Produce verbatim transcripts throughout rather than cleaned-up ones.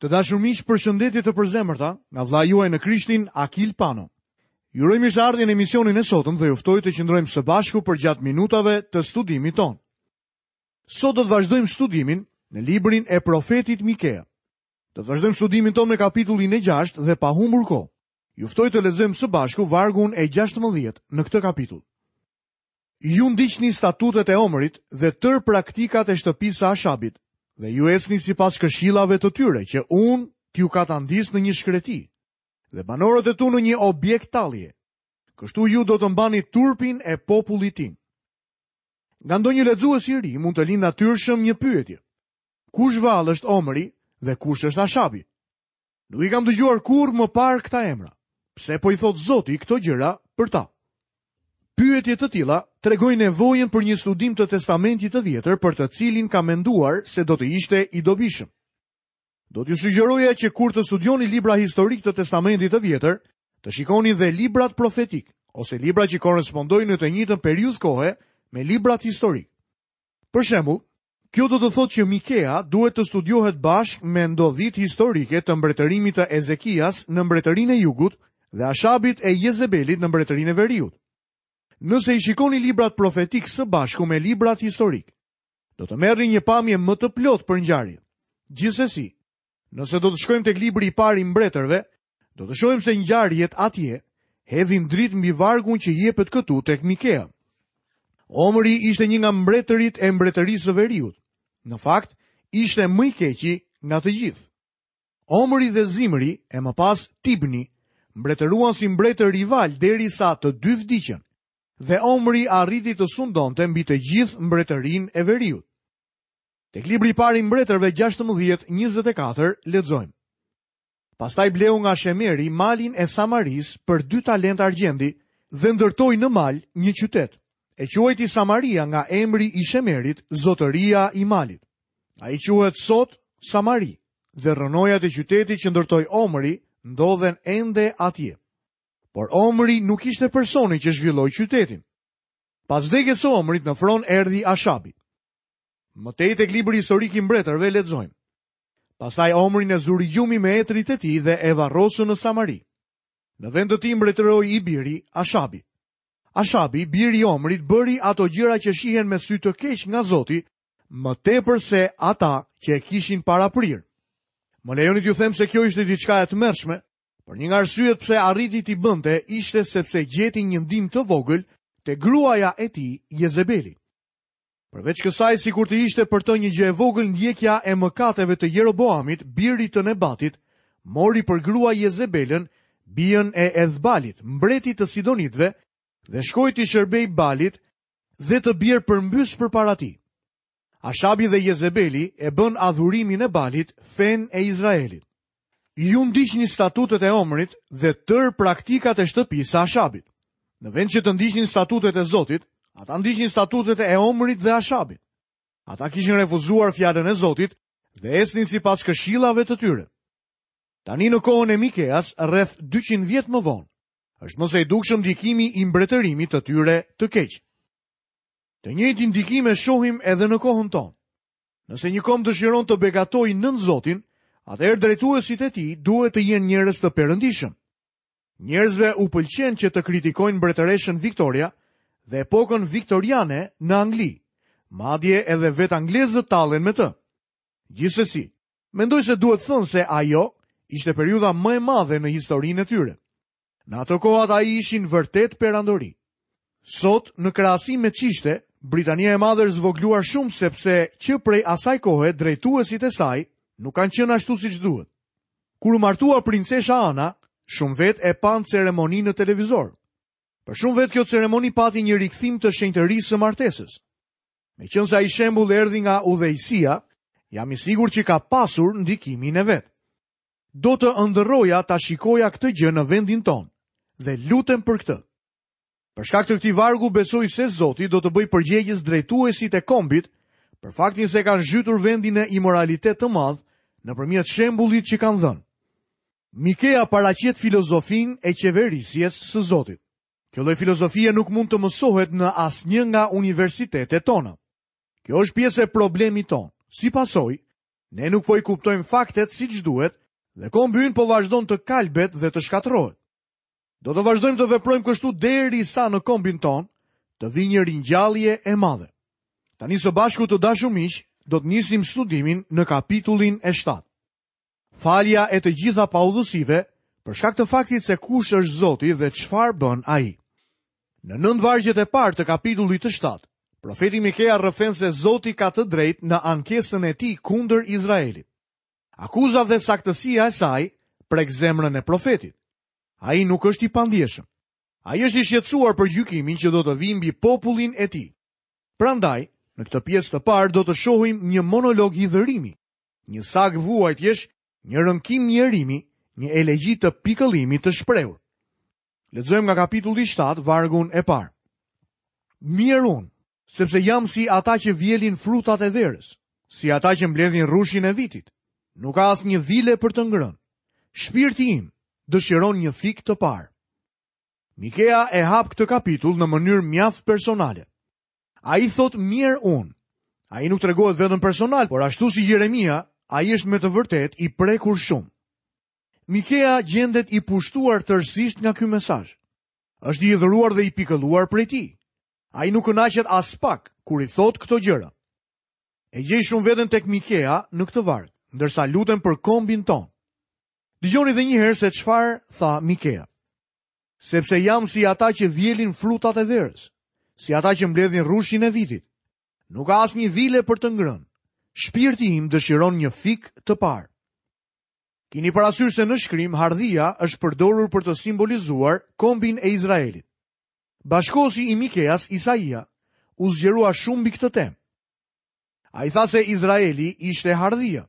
Të dashur miq, përshëndetje të përzemërta nga vëllai juaj në Krishtin, Akil Pano. Ju uroj mirëseardhjen në emisionin e sotëm dhe ju ftoj të qëndrojmë së bashku përgjatë minutave të studimit tonë. Sot do të vazhdojmë studimin në librin e profetit Mikea. Do të vazhdojmë studimin tonë me kapitullin e gjashtë dhe pa humbur kohë. Ju ftoj të lexojmë së bashku vargun e gjashtëmbëdhjetë në këtë kapitull. Ju ndiqni statutet e Omrit dhe tërë praktikat e shtëpisë së Ashabit, dhe ju ecni sipas këshillave të tyre që unë t'ju katandis në një shkreti, dhe banorët e tu në një objekt tallje. Kështu ju do të mbani turpin e popullit tim. Nga ndonjë lexues i ri mund të lind natyrshëm një pyetje. Kush vallë është Omri dhe kush është Ashabi? Nuk i kam dëgjuar kurrë më parë këta emra. Pse po i thot Zoti këto gjëra për ta? Pyetje të tilla tregojnë nevojën për një studim të Testamentit të Vjetër për të cilin kam menduar se do të ishte i dobishëm. Do t'ju sugjeroja që kur të studioni libra historik të Testamentit të Vjetër, të shikoni dhe librat profetik, ose libra që korrespondojnë në të njëjtën periudhë kohe me librat historik. Për shembull, kjo do të thotë që Mikea duhet të studiohet bashkë me ndodhitë historike të mbretërimit të Ezekias në mbretërinë e Jugut dhe Ashabit e Jezebelit në mbretërinë e Veriut. Nëse i shikoni librat profetik së bashku me librat historik, do të merrni një pamje më të plotë për ngjarjet. Gjithsesi, nëse do të shkojmë tek libri i parë i mbretërve, do të shohim se ngjarjet atje hedhin dritë mbi vargun që jepet këtu tek Mikea. Omri ishte një nga mbretërit e mbretërisë së Veriut. Në fakt, ishte më i keqi nga të gjithë. Omri dhe Zimri, e më pas Tibni, mbretëruan si mbretër rival derisa të dy vdiqën, dhe Omri arriti të sundonte mbi të gjithë mbretërinë e Veriut. Tek libri i parë i mbretërve gjashtëmbëdhjetë njëzet e katër lexojmë. Pastaj bleu nga Shemeri malin e Samarisë për dy talent argjendi dhe ndërtoi në mal një qytet. E quajti Samaria nga emri i Shemerit, zotëria i malit. Ai quhet sot Samari dhe rrënojat e qytetit që ndërtoi Omri ndodhen ende atje. Por Omri nuk ishte personi që zhvilloi qytetin. Pas vdekjes së Omrit në fron erdhi Ashabi. Më tej tek libri historik i mbretërve lexojmë. Pastaj Omrin e zuri gjumi me etrit e tij dhe e varrosën në Samari. Në vend të tij mbretëroi i biri Ashabi. Ashabi, biri i Omrit, bëri ato gjëra që shihen me sy të keq nga Zoti, më tepër se ata që e kishin paraprirë. Më lejoni t'ju them se kjo ishte diçka e tmerrshme, por një nga arsyet pse arriti t'i bënte ishte sepse gjeti një ndihmë të vogël te gruaja e tij, Jezebeli. Përveç kësaj, sikur të ishte për të një gjë e vogël ndjekja e mëkateve të Jeroboamit, birit të Nebatit, mori për grua Jezebelën, bijën e Edhbalit, mbretit të Sidonitëve, dhe shkoi t'i shërbej Balit dhe të bjerë përmbys përpara tij. Ashabi dhe Jezebeli e bën adhurimin e Balit fen e Izraelit. Ju ndiqni statutet e Omrit dhe tërë praktikat e shtëpisë së Ashabit. Në vend që të ndiqnin statutet e Zotit, ata ndiqnin statutet e Omrit dhe Ashabit. Ata kishin refuzuar fjalën e Zotit dhe ecnin sipas këshillave të tyre. Tani në kohën e Mikeas, rreth dyqind vjet më vonë, është më se i dukshëm ndikimi i mbretërimit të tyre të keq. Të njëjtin ndikim e shohim edhe në kohën tonë. Nëse një komb dëshiron të begatojë nën Zotin, atëherë drejtuesit e tij duhet të jenë njerëz të perëndishëm. Njerëzve u pëlqen që të kritikojnë mbretëreshën Victoria dhe epokën viktoriane në Angli, madje edhe vetë anglezët tallen me të. Gjithsesi, mendoj se duhet thënë se ajo ishte periudha më e madhe në historinë e tyre. Në ato kohë ata ishin vërtet perandori. Sot, në krahasim me ç'ishte, Britania e Madhe është zvogëluar shumë sepse që prej asaj kohe drejtuesit e saj nuk kanë qenë ashtu siç duhet. Kur u martua princesha Ana, shumë vetë e panë ceremoninë në televizor. Për shumë vetë kjo ceremoni pati një rikthim të shenjtërisë së martesës. Meqense ai shembull erdhi nga udhëheqësia, jam i sigurt që ka pasur ndikimin e vet. Do të ëndërroja ta shikoja këtë gjë në vendin tonë dhe lutem për këtë. Për shkak të këtij vargu besoj se Zoti do të bëjë përgjegjës drejtuesit e kombit për faktin se kanë zhytur vendin në imoralitet të madh nëpërmjet shembullit që kanë dhënë. Mikea paraqet filozofinë e qeverisjes së Zotit. Kjo lloj filozofie nuk mund të mësohet në asnjë nga universitetet tona. Kjo është pjesë e problemit tonë. Si pasojë, Ne nuk po i kuptojmë faktet siç duhet dhe kombi ynë po vazhdon të kalbet dhe të shkatërrohet. Do të vazhdojmë të veprojmë kështu derisa në kombin tonë të vijë një ringjallje e madhe. Tani së bashku të dashur miq, do të nisim studimin në kapitullin e shtatë. Falja e të gjitha paudhësive për shkak të faktit se kush është Zoti dhe çfarë bën ai. Në nëntë vargjet e parë të kapitullit të shtatë, profeti Mikea rrëfen se Zoti ka të drejtë në ankesën e tij kundër Izraelit. Akuza dhe saktësia e saj prek zemrën e profetit. Ai nuk është i pandjeshëm. Ai është i shqetësuar për gjykimin që do të vijë mbi popullin e tij. Prandaj, në këtë pjesë të parë do të shohim një monolog hidhërimi, një sagë vuajtjesh, një rënkim njerimi, një elegji të pikëllimit të shprehur. Lexojmë nga kapitulli shtatë, vargun e parë. Mjerë unë, sepse jam si ata që vjelin frutat e verës, si ata që mbledhin rrushin e vitit. Nuk ka asnjë vile për të ngrënë. Shpirti im dëshiron një fik të parë. Mikea e hap këtë kapitull në mënyrë mjaft personale. Ai thot mjerë unë. Ai nuk tregohet vetëm personal, por ashtu si Jeremia, ai është me të vërtetë i prekur shumë. Mikea gjendet i pushtuar tërësisht nga ky mesazh. Është i hidhëruar dhe i pikëlluar prej tij. Ai nuk kënaqet as pak kur i thot këto gjëra. E gjej shumë veten tek Mikea në këtë varg, ndërsa lutem për kombin ton. Dëgjoni edhe një herë se çfarë tha Mikea. Sepse jam si ata që vjelin frutat e verës, si ata që mbledhin rrushin e vitit. Nuk ka asnjë vile për të ngrënë. Shpirti im dëshiron një fik të parë. Kini parasysh se në shkrim hardhia është përdorur për të simbolizuar kombin e Izraelit. Bashkosi i Mikeas, Isaia, u zgjerua shumë mbi këtë temë. Ai tha se Izraeli ishte hardhia.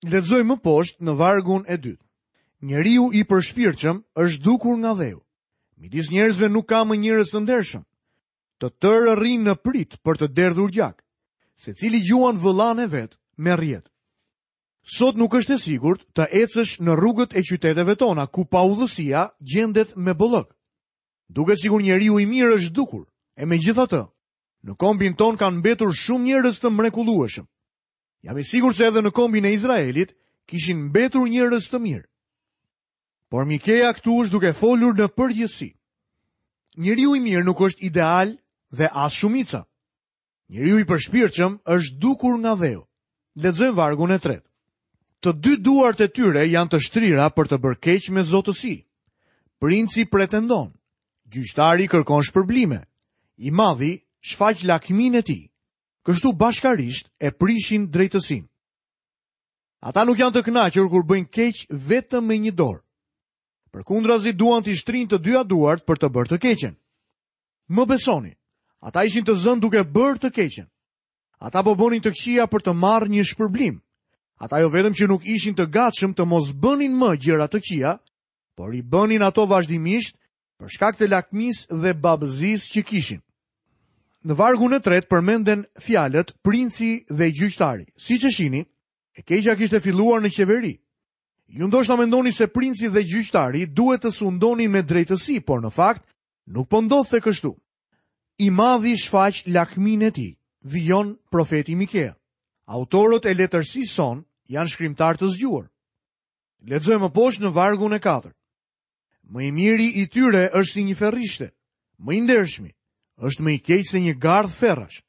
Lexoj më poshtë në vargun e dytë. Njeriu i përshpirtshëm është dukur nga dheu. Midis njerëzve nuk ka më njerëz të ndershëm. Të tërë rrinë në prit për të derdhur gjak. Secili gjuan vëllan e vet me rrjet. Sot nuk është e sigurt të ecësh në rrugët e qyteteve tona ku paudhësia gjendet me bollëk. Duket sikur njeriu i mirë është dukur, e megjithatë, në kombin ton kanë mbetur shumë njerëz të mrekullueshëm. Jam i sigurt se edhe në kombin e Izraelit kishin mbetur njerëz të mirë. Por Mikea këtu është duke folur në përgjithësi. Njeriu i mirë nuk është ideal dhe as shumica. Njeriu i përshpirtshëm është dukur nga dheu. Lexojmë vargun e tretë. Të dy duart e tyre janë të shtrira për të bërë keq me zotësi. Princi pretendon, gjyqtari kërkon shpërblime, i madhi shfaq lakminë e tij. Kështu bashkarisht e prishin drejtësinë. Ata nuk janë të kënaqur kur bëjnë keq vetëm me një dorë. Përkundrazi duan t'i shtrijnë të dyja duart për të bërë të keqen. Më besoni, ata ishin të zënë duke bërë të keqen. Ata po bënin të këqija për të marrë një shpërblim. Ata jo vetëm që nuk ishin të gatshëm të mos bënin më gjëra të këqija, por i bënin ato vazhdimisht për shkak të lakmisë dhe babëzisë që kishin. Në vargun e tretë përmenden fjalët princi dhe gjyqtari. Siç e shihni, e keqja kishte filluar në qeveri. Ju ndoshta mendoni se princi dhe gjyqtari duhet të sundonin me drejtësi, por në fakt nuk po ndodhte kështu. I madhi shfaq lakminë e tij, vijon profeti Mikea. Autorët e letërsisë sonë janë shkrimtar të zgjuar. Lexojmë më poshtë në vargun e katërt. Më i miri i tyre është si një ferrishte, më i ndershmi është më i keq se një gardh ferrash.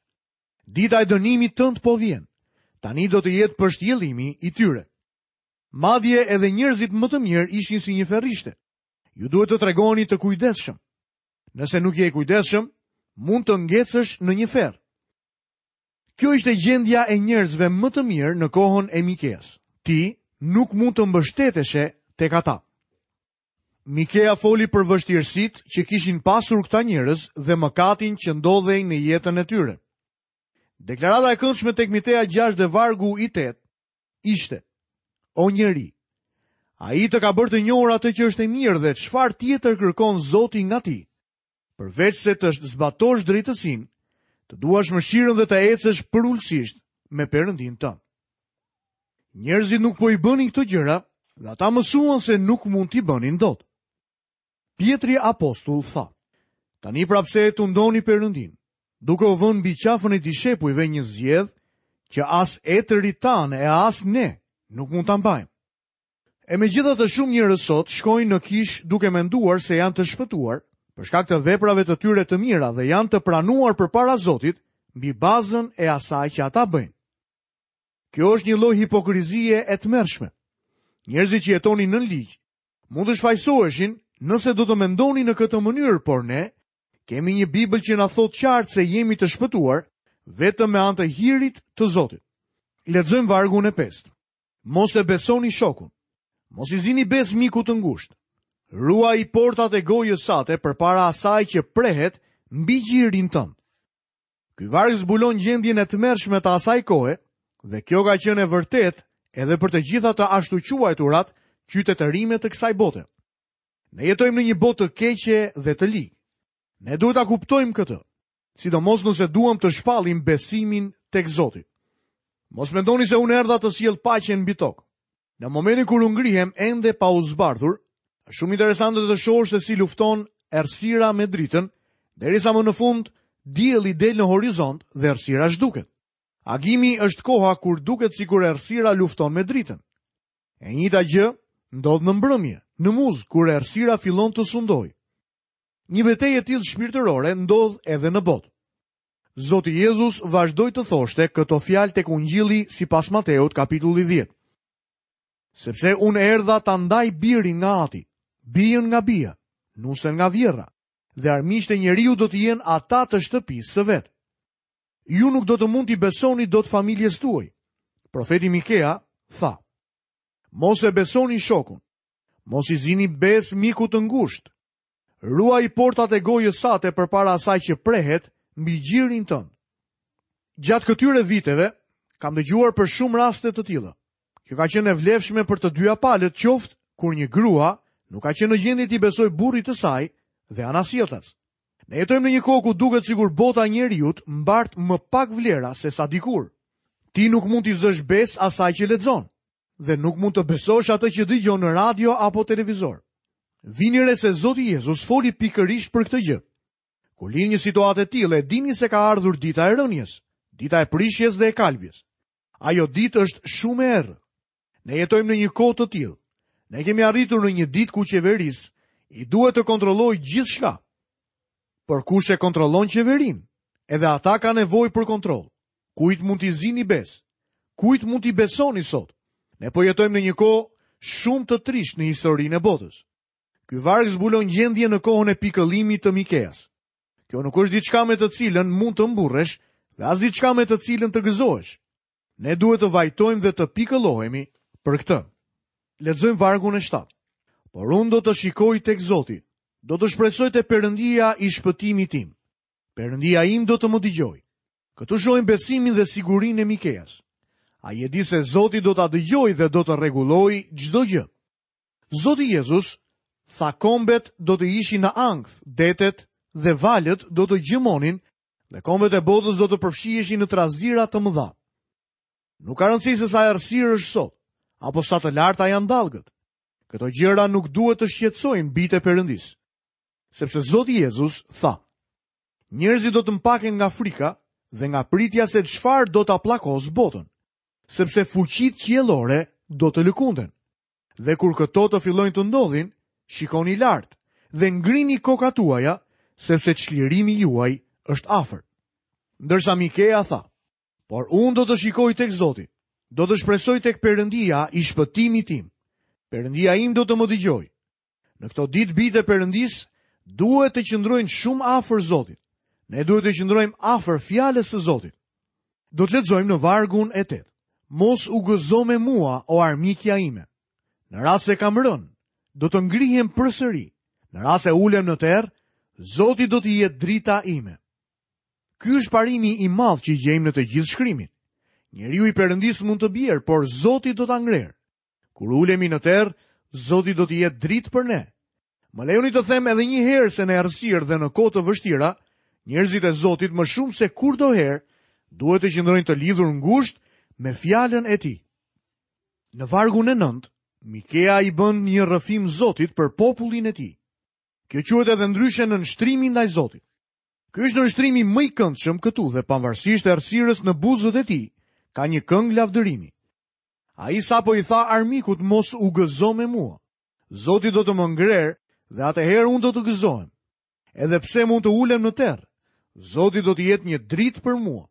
Dita e dënimit tënd po vjen. Tani do të jetë pështjellimi i tyre. Madje edhe njerëzit më të mirë ishin si një ferrishte. Ju duhet të tregoheni të kujdesshëm. Nëse nuk je i kujdesshëm, mund të ngecësh në një ferr. Kjo ishte gjendja e njerëzve më të mirë në kohën e Mikeas. Ti nuk mund të mbështeteshe tek ata. Mikea foli për vështirësitë që kishin pasur këta njerëz dhe mëkatin që ndodhej në jetën e tyre. Deklarata e këndshme tek Mitea gjashtë dhe vargu i tetë ishte: O njeri, ai të ka bërë të njohur atë që është e mirë dhe çfarë tjetër kërkon Zoti nga ti, përveç se të zbatosh drejtësinë, të duash mëshirën dhe të ecësh përulësisht me Perëndin tënd. Njerëzit nuk po i bënin këto gjëra dhe ata mësuan se nuk mund t'i bënin dot. Pietri apostull tha: Tani pra pse e tundoni Perëndin, duke u vënë mbi qafën e dishepujve një zgjedh që as etërit tanë e as ne nuk mund ta mbajmë. E megjithatë shumë njerëz sot shkojnë në kishë duke menduar se janë të shpëtuar për shkak të veprave të tyre të mira dhe janë të pranuar përpara Zotit mbi bazën e asaj që ata bëjnë. Kjo është një lloj hipokrizie e tmerrshme. Njerëzit që jetonin nën ligj mund të shfajësoheshin nëse do të mendonin në këtë mënyrë, por ne kemi një Bibël që na thotë qartë se jemi të shpëtuar vetëm me anë të hirit të Zotit. Lexojmë vargun e pestë. Mos e besoni shokun. Mos i zini besë mikut të ngushtë. Ruaj portat e gojës sate përpara asaj që prehet mbi gjirin tënd. Ky varg zbulon gjendjen e tmerrshme të asaj kohe dhe kjo ka qenë e vërtetë edhe për të gjitha të ashtuquajturat qytetërime të kësaj bote. Ne jetojmë në një botë të keqe dhe të ligë. Ne duhet ta kuptojmë këtë, sidomos nëse duam të shpallim besimin tek Zoti. Mos mendoni se unë erdha të sjell paqen mbi tokë. Në momentin kur u ngrihem ende pa u zbardhur, është shumë interesante të shohësh se si lufton errësira me dritën, derisa më në fund dielli del në horizont dhe errësira zhduket. Agimi është koha kur duket sikur errësira lufton me dritën. E njëjta gjë ndodh në mbrëmje, në muzg, kur errësira fillon të sundojë. Një betejë e tillë shpirtërore ndodh edhe në botë. Zoti Jezus vazhdoi të thoshte këto fjalë tek Ungjilli sipas Mateut kapitulli dhjetë. Sepse unë erdha ta ndaj birin nga ati, bijën nga bija, nusen nga vjerra, dhe armiqtë e njeriu do të jenë ata të shtëpisë së vet. Ju nuk do të mund t'i besoni dot familjes tuaj. Profeti Mikea tha: Mos e besoni shokun, mos i zini besë mikut të ngushtë. Ruaj portat e gojës sate përpara asaj që prehet mbi gjirin tënd. Gjatë këtyre viteve kam dëgjuar për shumë raste të tilla. Kjo ka qenë e vlefshme për të dyja palët, qoftë kur një grua nuk ka qenë në gjendje t'i besojë burrit të saj dhe anasjelltas. Ne jetojmë në një kohë ku duket sikur bota e njeriut mbart më pak vlera se sa dikur. Ti nuk mund t'i zësh besë asaj që lexon dhe nuk mund të besosh atë që dëgjon në radio apo televizor. Vini re se Zoti Jezus foli pikërisht për këtë gjë. Kur lind një situatë e tillë, e dini se ka ardhur dita e rënies, dita e prishjes dhe e kalbjes. Ajo ditë është shumë e errët. Ne jetojmë në një kohë të tillë. Ne kemi arritur në një ditë ku qeverisë i duhet të kontrollojë gjithçka. Por kush e kontrollon qeverinë? Edhe ata kanë nevojë për kontroll. Kujt mund t'i zini besë? Kujt mund t'i besoni sot? Ne po jetojmë në një kohë shumë të trishtë në historinë e botës. Ky varg zbulon gjendjen në kohën e pikëllimit të Mikeas. Kjo nuk është diçka me të cilën mund të mburresh dhe as diçka me të cilën të gëzohesh. Ne duhet të vajtojmë dhe të pikëllohemi për këtë. Lexojmë vargun e shtatë. Por unë do të shikoj tek Zoti, do të shpresoj te Perëndia i shpëtimit tim. Perëndia im do të më dëgjojë. Këtu shohim besimin dhe sigurinë e Mikeas. Ai e di se Zoti do ta dëgjojë dhe do të rregullojë çdo gjë. Zoti Jezus tha kombet do të ishin në ankth, detet dhe valët do të gjëmonin dhe kombet e botës do të përfshiheshin në trazira të mëdha. Nuk ka rëndësi se sa errësirë është sot, apo sa të larta janë dallgët. Këto gjëra nuk duhet të shqetësojnë bijtë e Perëndisë. Sepse Zoti Jezus tha: Njerëzit do të mpaken nga frika dhe nga pritja se çfarë do ta pllakos botën, sepse fuqitë qiellore do të lëkunden. Dhe kur këto të fillojnë të ndodhin, shikoni lart dhe ngrini kokat tuaja, sepse çlirimi juaj është afër. Ndërsa Mikea tha: Por unë do të shikoj tek Zoti, do të shpresoj tek Perëndia i shpëtimit tim. Perëndia im do të më dëgjojë. Në këto ditë bijtë e Perëndisë duhet të qëndrojnë shumë afër Zotit. Ne duhet të qëndrojmë afër fjalës së Zotit. Do të lexojmë në vargun e tetë. Mos u gëzo me mua, o armikja ime. Në rast se kam rënë, do të ngrihem përsëri. Në rast se ulem në terr, Zoti do të jetë drita ime. Ky është parimi i madh që gjejmë në të gjithë shkrimin. Njeriu i Perëndisë mund të bjerë, por Zoti do ta ngrerë. Kur ulemi në terr, Zoti do të jetë dritë për ne. Më lejoni të them edhe një herë se në errësirë dhe në kohë të vështira, njerëzit e Zotit më shumë se kurdoherë duhet të qëndrojnë të lidhur ngushtë me fjalën e tij. Në vargun e nëntë, Mikea i bën një rrëfim Zotit për popullin e tij. Kjo quhet edhe ndryshe nënshtrimi ndaj Zotit. Ky është nënshtrimi më i këndshëm këtu dhe pavarësisht errësirës në buzët e tij, Ka një këngë lavdërimi. Ai sapo i tha armikut mos u gëzo me mua. Zoti do të më ngrerë dhe atëherë unë do të gëzohem. Edhe pse mund të ulem në terr, Zoti do të jetë një dritë për mua.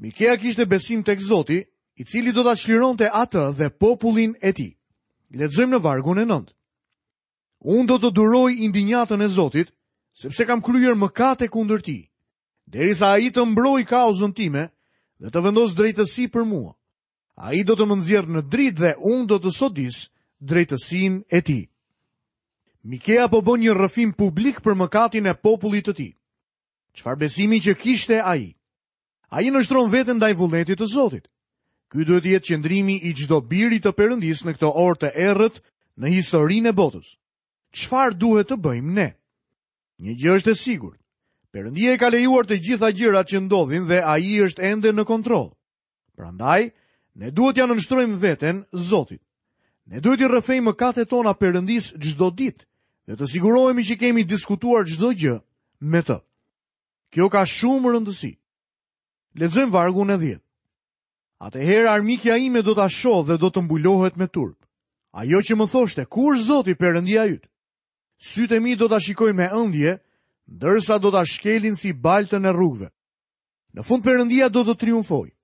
Mikea kishte besim tek Zoti, i cili do ta çlironte atë dhe popullin e tij. Lexojmë në vargun e nëntë. Unë do të duroj indinjatën e Zotit, sepse kam kryer mëkate kundër tij, derisa ai të mbrojë kauzën time dhe të vendos drejtësi për mua. Ai do të më nxjerrë në dritë dhe unë do të sodis drejtësinë e tij. Mikea po bën një rrëfim publik për mëkatin e popullit të tij. Çfarë besimi që kishte ai? Ai nënshtron veten ndaj vullnetit të Zotit. Ky duhet të jetë qëndrimi i çdo biri të Perëndisë në këtë orë të errët në historinë e botës. Çfarë duhet të bëjmë ne? Një gjë është e sigurt. Perëndia i ka lejuar të gjitha gjërat që ndodhin dhe ai është ende në kontroll. Prandaj, ne duhet t'ia nënshtrojmë veten Zotit. Ne duhet t'i rrëfejmë mëkatet tona Perëndisë çdo ditë dhe të sigurohemi që kemi diskutuar çdo gjë me të. Kjo ka shumë rëndësi. Lexojmë vargun e dhjetë. Atëherë armikja ime do ta shohë dhe do të mbulohet me turp. Ajo që më thoshte, ku është Zoti Perëndia yt? Sytë e mi do ta shikojnë me ëndje, ndërsa do ta shkelin si baltën e rrugëve. Në fund Perëndia do të triumfojë.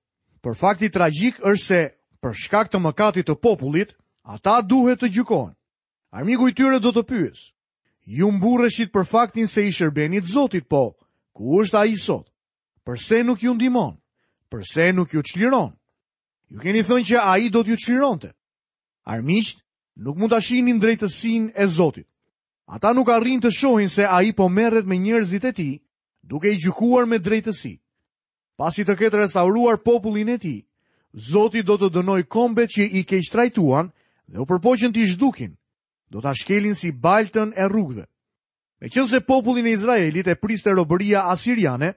Por fakti tragjik është se për shkak të mëkatit të popullit, ata duhet të gjykohen. Armiku i tyre do të pyesë: Ju mburreshit për faktin se i shërbenit Zotit, po ku është ai sot? Përse nuk ju ndihmon? Përse nuk ju çliron? Ju keni thënë që ai do t'ju çlironte. Armiqt nuk mund ta shihnin drejtësinë e Zotit. Ata nuk arrin të shohin se ai po merret me njerëzit e tij, duke i gjykuar me drejtësi. Pasi të ketë restauruar popullin e tij, Zoti do të dënojë kombet që i keqtrajtuan dhe u përpoqën t'i zhdukin. Do ta shkelin si baltën e rrugëve. Meqense popullin e Izraelit e priste robëria asiriane,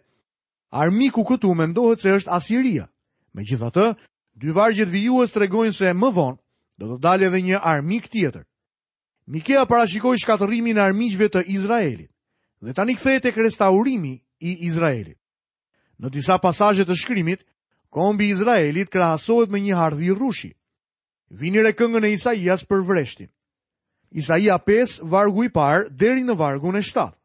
armiku këtu mendohet se është Asiria. Megjithatë, dy vargjet vijues tregojnë se më vonë do të dalë edhe një armik tjetër. Mikea parashikoi shkatërrimin e armiqve të Izraelit dhe tani kthehet tek restaurimi i Izraelit. Në disa pasazhe të shkrimit, kombi i Izraelit krahasohet me një hardhi rrushi. Vini re këngën e Isaias për vreshtin. Isaia pesë, vargu i parë deri në vargun e shtatë.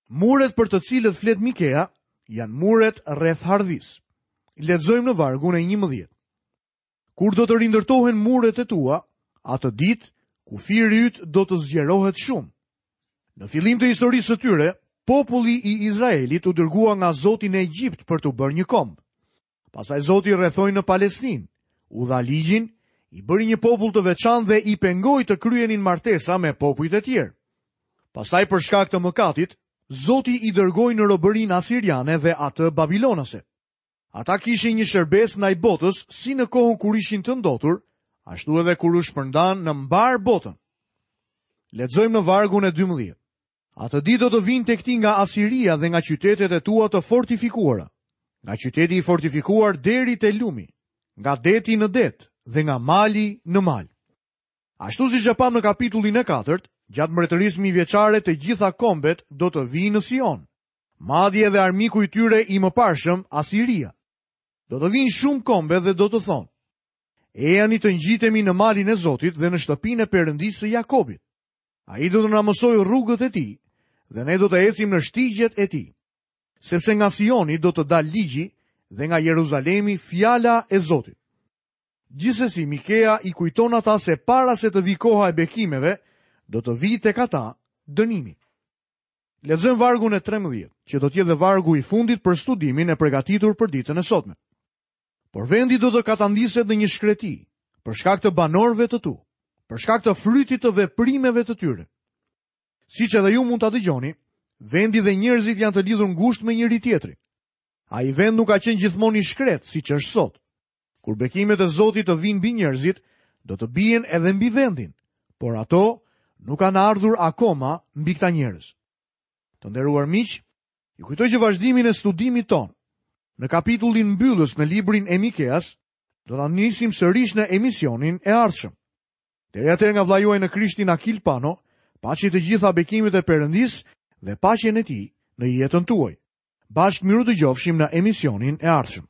Muret për të cilët flet Mikea janë muret rreth hardhisë. Lexojmë në vargun e njëmbëdhjetë. Kur do të rindërtohen muret e tua, atë ditë kufiri yt do të zgjerohet shumë. Në fillim të historisë së tyre, populli i Izraelit u dërgua nga Zoti në Egjipt për të bërë një komb. Pastaj Zoti rrethoi në Palestinë, u dha ligjin, i bëri një popull të veçantë dhe i pengoi të kryenin martesa me popujt e tjerë. Pastaj për shkak të mëkatit, Zoti i dërgoi në robërinë asiriane dhe atë babilonase. Ata kishin një shërbes ndaj botës si në kohën kur ishin të ndotur, ashtu edhe kur u shpërndan në mbar botën. Lexojmë në vargun e dymbëdhjetë. Atë ditë do të vinë tek ti nga Asiria dhe nga qytetet e tua të fortifikuara, nga qyteti i fortifikuar deri te lumi, nga deti në det dhe nga mali në mal. Ashtu siç e pam në kapitullin e katërt, gjatë mbretërisë mijëvjeçare të gjitha kombet do të vinë në Sion, madje edhe armiku i tyre i mëparshëm, Asiria. Do të vinë shumë kombe dhe do të thonë: Ejani të ngjitemi në malin e Zotit dhe në shtëpinë e Perëndisë së Jakobit. Ai do të na mësojë rrugët e tij dhe ne do të ecim në shtigjet e tij. Sepse nga Sioni do të dalë ligji dhe nga Jeruzalemi fjala e Zotit. Gjithsesi Mikea i kujton ata se para se të vi koha e bekimeve, do të vi tek ata dënimi. Lexojmë vargun e trembëdhjetë, që do të jetë dhe vargu i fundit për studimin e përgatitur për ditën e sotme. Por vendi do të katandiset në një shkreti, për shkak të banorëve të tu, për shkak të frytit të veprimeve të tyre. Siç edhe ju mund ta dëgjoni, vendi dhe njerëzit janë të lidhur ngushtë me njëri tjetrin. Ai vend nuk ka qenë gjithmonë i shkret, siç është sot. Kur bekimet e Zotit të vinë mbi njerëzit, do të bien edhe mbi vendin, por ato nuk kanë ardhur akoma mbi këta njerëz. Të nderuar miq, ju kujtoj që vazhdimin e studimit ton në kapitullin mbyllës në librin e Mikeas, do ta nisim sërish në emisionin e ardhshëm. Deri atëherë nga vëllai juaj në Krishtin Akil Pano, paçi të gjitha bekimet e Perëndisë dhe paqen e tij në jetën tuaj. Bashkë miru dëgjofshim në emisionin e ardhshëm.